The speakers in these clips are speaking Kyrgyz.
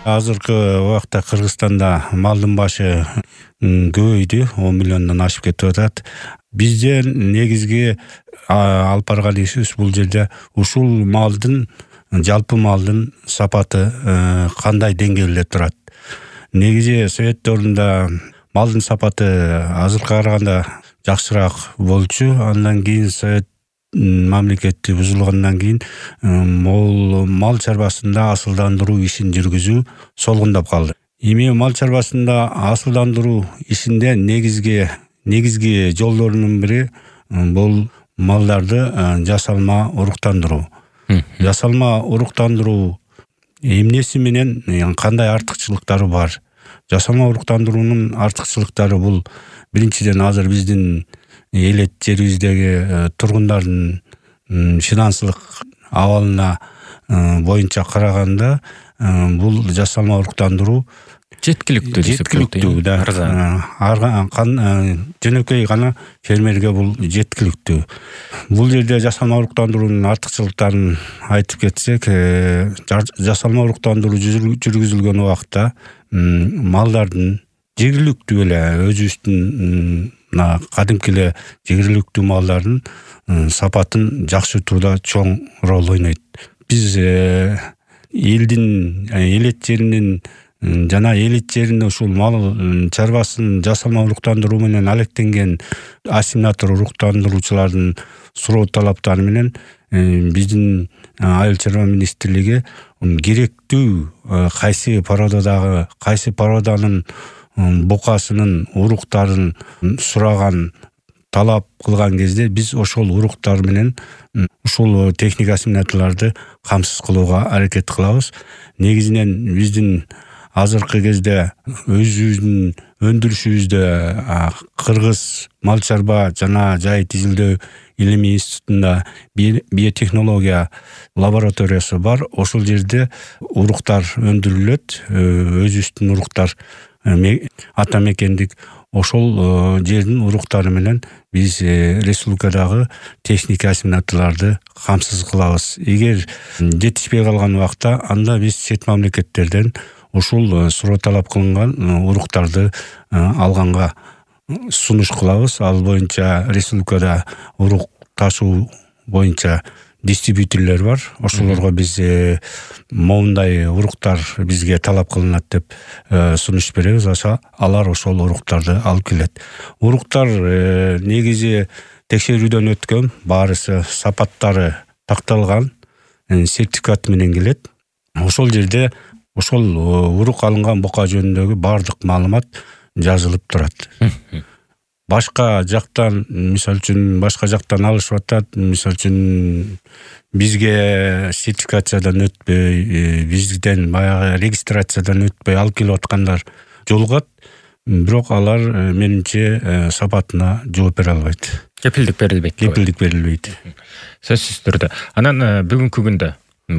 Азыркы убакта Кыргызстанда малдын башы көбөйдү, 10 миллиондон ашып кетип атат. Бизден негизги алып барган ишибиз бул жерде ушул малдын, жалпы малдын сапаты кандай деңгээлде турат. Негизи Совет дöwрүндө малдын сапаты азыркыга караганда жакшыраак болчу. Андан кийин Совет мамлекети бузулгандан кийин мал чарбасында асылдандыруу ишин жүргүзүү солгундап калды. Эми мал чарбасында асылдандыруу ишинде негизги жолдорунун бири бул малдарды жасалма уруктандыруу. Жасалма уруктандыруу эмнеси менен кандай артыкчылыктары бар? Жасалма уруктандыруунун артыкчылыктары бул биринчиден азыр биздин элет жерибиздеги тургундардын финансылык абалына боюнча караганда бул жасалма уруктандыруу жеткиликтүү да. Жөнөкөй гана фермерге бул жеткиликтүү. Бул жерде жасалма уруктандыруунун артыкчылыктарын айтып кетсек, жасалма уруктандыруу жүргүзүлгөн убакта малдардын жергиликтүү эле өзүбүздүн кадимки эле жергиликтүү малдардын сапатын жакшыртууда чоң роль ойнойт. Биз элдин элет жеринин жана элет жеринде ушул мал чарбасын жасалма уруктандыруу менен алектенген ассимилятор уруктандыруучулардын суроо талаптары менен биздин Айыл чарба министрлиги керектүү кайсы породанын букасынын уруктарын сураган, талап кылган кезде биз ошол уруктар менен ушул техника ассимиляторлорду камсыз кылууга аракет кылабыз. Негизинен биздин азыркы кезде өзүбүздүн өндүрүшүбүздө Кыргыз мал чарба жана жай тизилдөө илимий институтунда биотехнология лабораториясы бар. Ошол жерде уруктар өндүрүлөт, өзүбүздүн уруктар ата мекендик. Ошол жердин уруктары менен биз республикадагы техника ассимиляторлорду камсыз кылабыз. Эгер жетишпей калган убакта анда биз чет мамлекеттерден ушул суроо талап кылынган уруктарды алганга сунуш кылабыз. Ал боюнча республикада урук ташуу боюнча дистрибьюторлор бар. Ошолорго биз моундай уруктар бизге талап кылынат деп сунуш беребиз. Алар ошол уруктарды алып келет. Уруктар негизи текшерүүдөн өткөн, баарысы сапаттары такталган сертификат менен келет. Ошол жерде ошол урук алынган бука жөнүндөгү баардык маалымат жазылып турат. Башка жактан, мисалы үчүн башка жактан алышып атат, мисалы үчүн бизге сертификациядан өтпөй, бизден баягы регистрациядан өтпөй алып келип аткандар жолугат, бирок алар менимче сапатына жооп бере албайт. Кепилдик берилбейт. Сөзсүз түрдө. Анан бүгүнкү күндө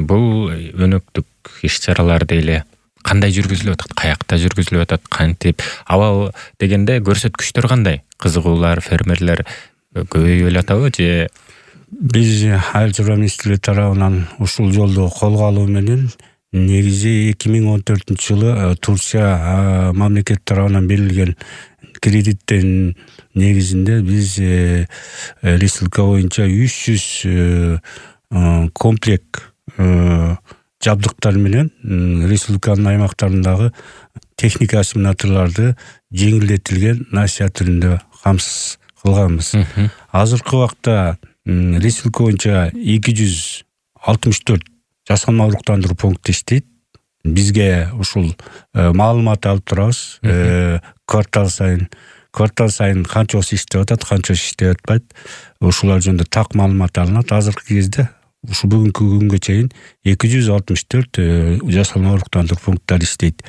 бул өнөктүк иш-чараларды эле кандай жүргүзүлүп атат, каякта жүргүзүлүп атат, кантип абал дегенде көрсөткүчтөр кандай? Кызыгуулар, фермерлер көбөйүп эле атабы же? Биз Айыл чарба министрлиги тарабынан ушул жолду колго алуу менен негизи 2014-жылы Турция мамлекет тарабынан берилген кредиттин негизинде биз республика боюнча 300 комплект жабдыктар менен республиканын аймактарындагы техника ассимиляторлорду жеңилдетилген насыя түрүндө камсыз кылганбыз. Азыркы убакта республика боюнча 264 жасалма уруктандыруу пункту иштейт. Бизге ушул маалымат алып турабыз. Квартал сайын канчасы иштеп атат, канчасы иштеп атпайт. Ушулар жөнүндө так маалымат алынат. Азыркы кезде ушу бүгүнкү күнгө чейин 264 жасалма уруктандыруу пункттары иштейт.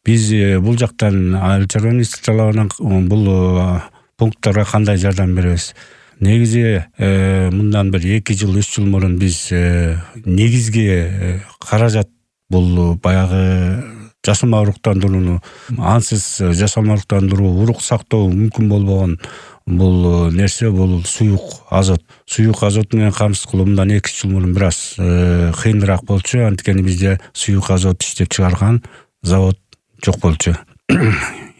Биз бул жактан Айыл чарба министрлигинен бул пункттарга кандай жардам беребиз? Негизи мындан бир 2 жыл, 3 жыл мурун биз негизги каражат бул баягы жасалма уруктандырууну ансыз жасалма уруктандыруу урук сактоо мүмкүн болбогон бул нерсе бул суюк азот менен камсыз кылуу мындан 2 жыл мурун бир аз кыйыныраак болчу. Анткени бизде суюк азот иштеп чыгарган завод жок болчу.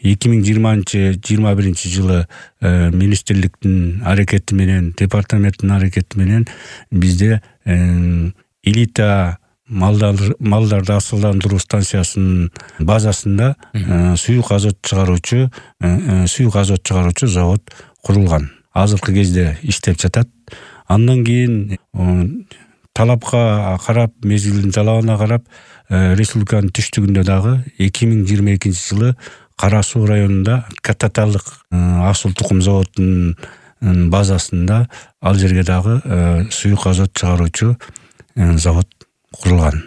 2020-21 жылы министрликтин аракети менен, департаменттин аракети менен бизде элита малдарды асылдандыруу станциясынын базасында суюк азот чыгаруучу завод курулган. Азыркы кезде иштеп жатат. Андан кийин талапка карап, мезгилдин талабына карап, республиканын түштүгүндө дагы 2022 жылы Кара Суу районунда Кататалык асыл тукум заводунун базасында ал жерге дагы суюк азот чыгаруучу завод курулган.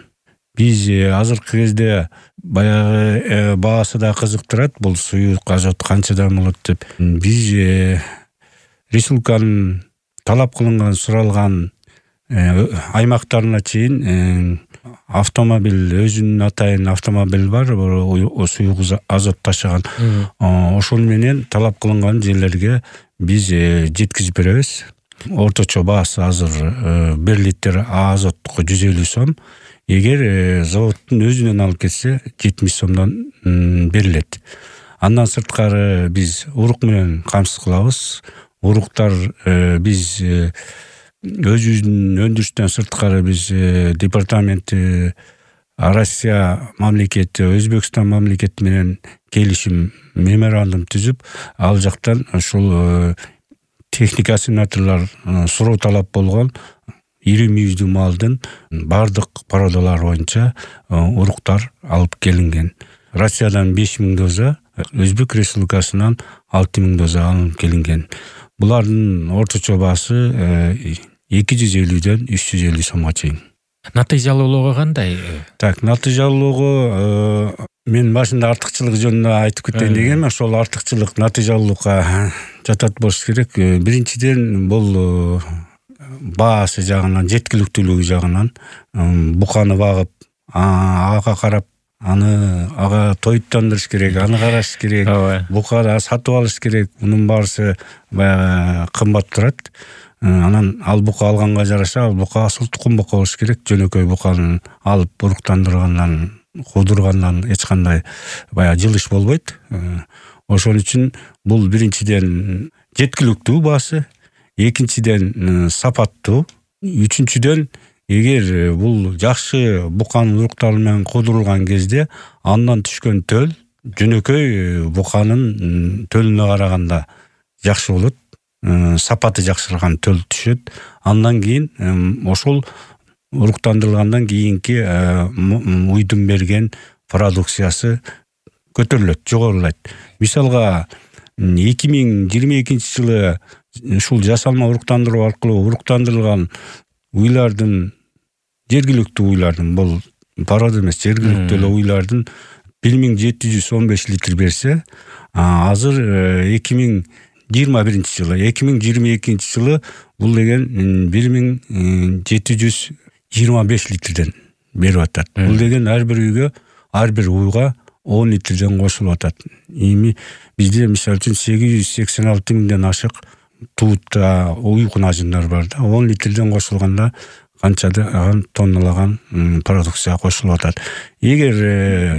Биз азыркы кезде баягы баасы да кызыктырат, бул суюк азот канчадан болот деп. Биз республиканын талап кылынган, суралган аймактарына чейин автомобиль, өзүнүн атайын автомобиль бар, суюк азот ташыган. Ошол менен талап кылынган жерлерге биз жеткизип беребиз. Орточо баасы азыр 1 литр азотко 150 сом. Эгер заводдун өзүнөн алып кетсе 70 сомдон берилет. Андан сырткары биз урук менен камсыз кылабыз. Уруктар биз өзүбүздүн өндүрүштөн сырткары биз департаменти Россия мамлекети, Өзбекстан мамлекети менен келишим меморандум түзүп, ал жактан ушул техника ассигнаторлор суроо талап болгон ири мүйүздүү малдын бардык породалары боюнча уруктар алып келинген. Россиядан 5000 доза, Өзбек Республикасынан 6000 доза алынып келинген. Булардын орточо баасы 250ден 350 сомго чейин. Натыйжалуулугу кандай? Натыйжалуулугу мен башында артыкчылык жөнүндө айтып кетейин дегенмин. Ошол артыкчылык натыйжалуулукка жатат болуш керек. Биринчиден бул баасы жагынан, жеткиликтүүлүгү жагынан буканы багып, ага карап, ага тоюттандырыш керек, аны караш керек, букада сатып алыш керек. Мунун баарысы баягы кымбат турат. Анан ал бука алганга жараша, ал бука асыл тукум бука болуш керек. Жөнөкөй буканы алып буруктандыргандан, куудургандан эч кандай баягы жылыш болбойт. Ошон үчүн бул биринчиден жеткиликтүү баасы, экинчиден сапаттуу, үчүнчүдөн эгер бул жакшы буканын уруктары менен куудурулган кезде андан түшкөн төл жөнөкөй буканын төлүнө караганда жакшы болот. Сапаты жакшырган төл түшөт. Андан кийин ошол уруктандырылгандан кийинки уйдун берген продукциясы көтөрүлөт, жогорулайт. Мисалга 2022 жылы ушул жасалма уруктандыруу аркылуу уруктандырылган уйлардын, жергиликтүү уйлардын, бул парод эмес, жергиликтүү эле уйлардын 1715 литр берсе, азыр 2021 жылы, 2022 жылы бул деген 1725 литрден берип атат. Бул деген ар бир үйгө, ар бир уйга 10 литрден кошулуп атат. Эми бизде мисалы үчүн 886 миңден ашык туутта уй кунажындар бар да. 10 литрден кошулганда канчадан тонналаган продукция кошулуп атат. Эгер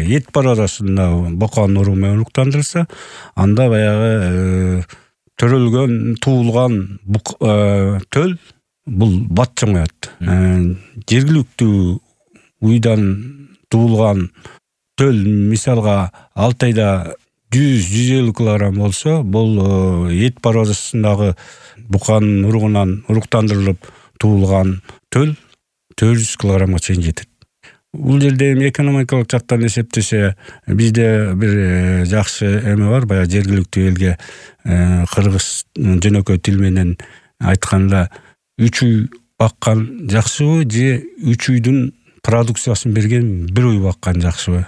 эт породасында буканын уруу менен уруктандырылса, анда баягы төрөлгөн, туулган төл бул бат жоңоет. Жергиликтүү уйдан туулган төл мисалга 6 айда 100-150 килограмм болсо, бул эт породасындагы буканын уругунан уруктандырылып туулган төл 400 килограммга чейин жетет. Бул жерде эми экономикалык жактан эсептесе, бизде бир жакшы эме бар, баягы жергиликтүү элге кыргыз жөнөкөй тил менен айтканда 3 уй баккан жакшыбы же 3 уйдун продукциясын берген 1 уй баккан жакшыбы?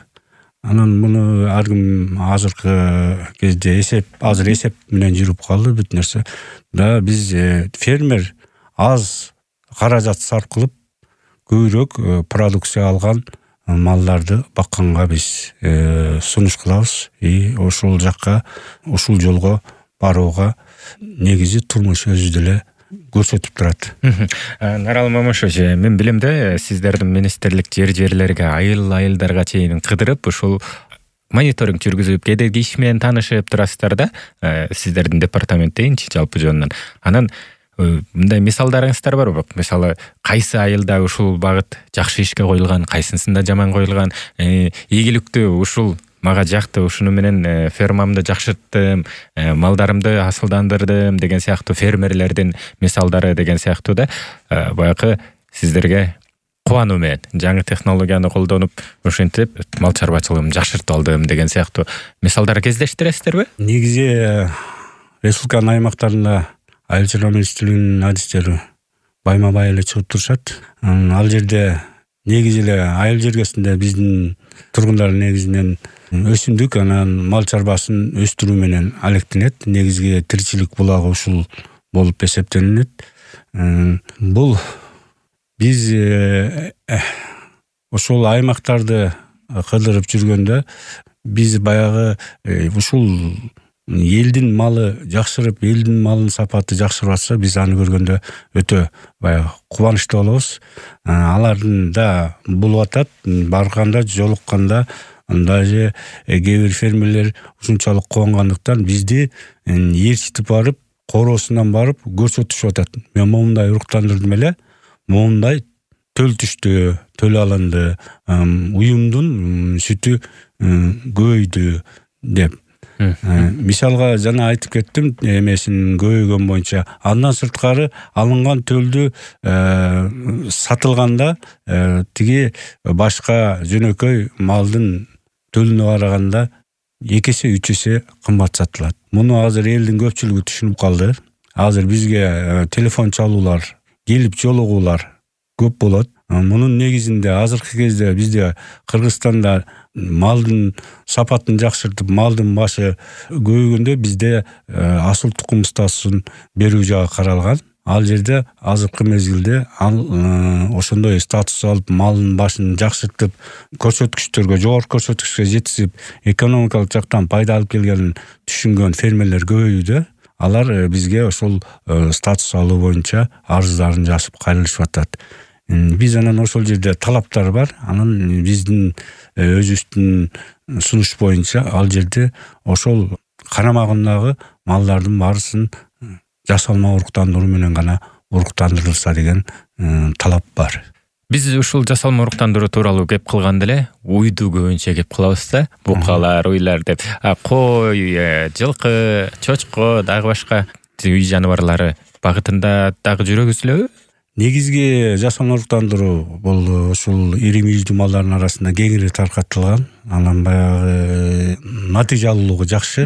Анан муну ар ким азыркы кезде азыр эсеп менен жүрүп калды бүт нерсе. Да биз фермер аз каражат сарп кылып көбүрөөк продукция алган малдарды бакканга биз сунуш кылабыз. Ошол жакка, ушул жолго барууга негизи турмуш өзү деле көрсөтүп турат. Нарал Момушович, мен билем да, сиздердин министрлик жерлерге айылдарга чейин кыдырып ушул мониторинг жүргүзүп, кедерги иш менен таанышып турасыздар да, сиздердин департамент дейинчи жалпы жөнүнөн. Анан мындай мисалдарыңыздар барбы? Мисалы, кайсы айылда ушул багыт жакшы ишке коюлган, кайсынсында жаман коюлган, ийгиликтүү ушул мага жакты, ушуну менен фермамды жакшырттым, малдарымды асылдандырдым деген сыяктуу фермерлердин мисалдары деген сыяктуу да, баягы сиздерге кубануу менен жаңы технологияны колдонуп, ушинтип мал чарбачылыгымды жакшыртып алдым деген сыяктуу мисалдар кездештиресиздерби? Негизи республиканын аймактарында айыл чарба министрлигинин адистери байма-бай эле чыгып турушат. Ал жерде негизи эле айыл жергесинде биздин тургундар негизинен өсүмдүк, анан мал чарбасын өстүрүү менен алектенет. Негизги тиричилик булагы ушул болуп эсептелинет. Бул биз ошол аймактарды кыдырып жүргөндө биз баягы ушул элдин малы жакшырып, элдин малынын сапаты жакшырып атса, биз аны көргөндө өтө баягы кубанычтуу болобуз. Алардын да болуп атат, барганда, жолукканда даже кээ бир фермерлер ушунчалык кубангандыктан бизди ээрчитип барып, короосунан барып көрсөтүшүп атат. Мен момундай уруктандырдым эле, момундай төл түштү, төл алынды, уюмдун сүтү көбөйдү деп. Мисалга жана айтып кеттим, эмесин көбөйгөн боюнча. Андан сырткары алынган төлдү сатылганда тиги башка жөнөкөй малдын төлүнө караганда 2 эсе 3 эсе кымбат сатылат. Муну азыр элдин көпчүлүгү түшүнүп калды. Азыр бизге телефон чалуулар, келип жолугуулар көп болот. Мунун негизинде азыркы кезде бизде Кыргызстанда малдын сапатын жакшыртып, малдын башы көбөйгөндө бизде асыл тукум статусун берүү жагы каралган. Ал жерде азыркы мезгилде ошондой статус алып, малдын башын жакшыртып, көрсөткүчтөргө, жогорку көрсөткүчкө жеткизип, экономикалык жактан пайда алып келгенин түшүнгөн фермерлер көбөйдү. Алар бизге ошол статус алуу боюнча арыздарын жазып кайрылышып атат. Биз анан ошол жерде талаптар бар. Анан биздин өзүбүздүн сунуш боюнча ал жерде ошол карамагындагы малдардын баарысын жасалма уруктандыруу менен гана уруктандырылса деген талап бар. Биз ушул жасалма уруктандыруу тууралуу кеп кылганда эле уйду көбүнчө кеп кылабыз да, букалар, уйлар деп. Кой, жылкы, чочко, дагы башка үй жаныбарлары багытында дагы жүрөбүзбү? Негизги жасалма уруктандыруу бул ушул ири мүйүздүү малдардын арасында кеңири таркатылган. Анан баягы натыйжалуулугу жакшы.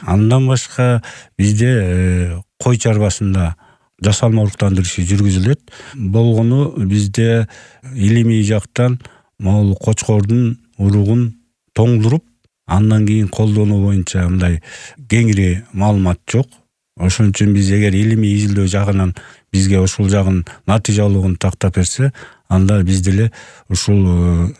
Андан башка бизде кой чарбасында жасалма уруктандыруу иши жүргүзүлөт. Болгону бизде илимий жактан могул кочкордун уругун тоңдуруп, андан кийин колдонуу боюнча мындай кеңири маалымат жок. Ошон үчүн биз эгер илимий изилдөө жагынан бизге ушул жагын натыйжалуулугун тактап берсе, анда биз деле ушул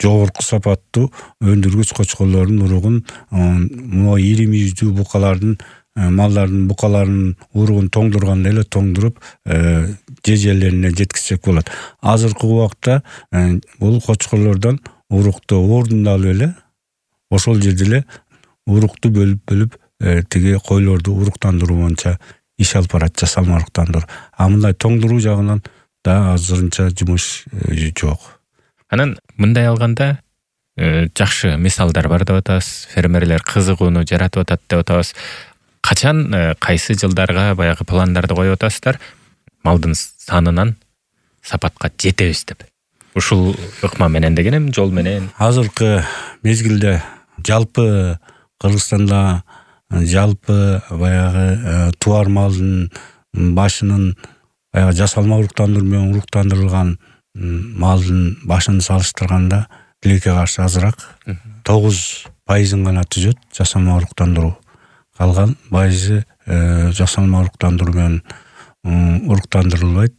жогорку сапаттуу өндүргүч кочкорлордун уругун, могу ири мүйүздүү букалардын, малдардын букаларынын уругун тоңдурганда эле тоңдуруп, жерлерине жеткизсек болот. Азыркы убакта бул кочкорлордон урукту ордунда алып эле, ошол жерде эле урукту бөлүп тиги койлорду уруктандыруу боюнча иш алып барат, жасалма уруктандыруу. Мындай тоңдуруу жагынан да азырынча жумуш жок. Анан мындай алганда жакшы мисалдар бар деп атабыз. Фермерлер кызыгууну жаратып атат деп атабыз. Качан, кайсы жылдарга баягы пландарды коюп атасыздар? Малдын санынан сапатка жетебиз деп. Ушул ыкма менен дегенем, жол менен. Азыркы мезгилде жалпы Кыргызстанда жалпы баягы туар малдын башынын баягы жасалма уруктандыруу менен уруктандырылган малдын башын салыштырганда тилекке каршы азыраак 9% гана түзөт жасалма уруктандыруу. Калган пайызы жасалма уруктандыруу менен уруктандырылбайт.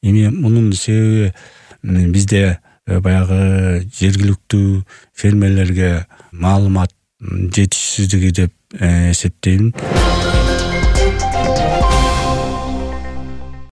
Эми мунун себеби бизде баягы жергиликтүү фермерлерге маалымат жетишсиздиги деп эсептейм.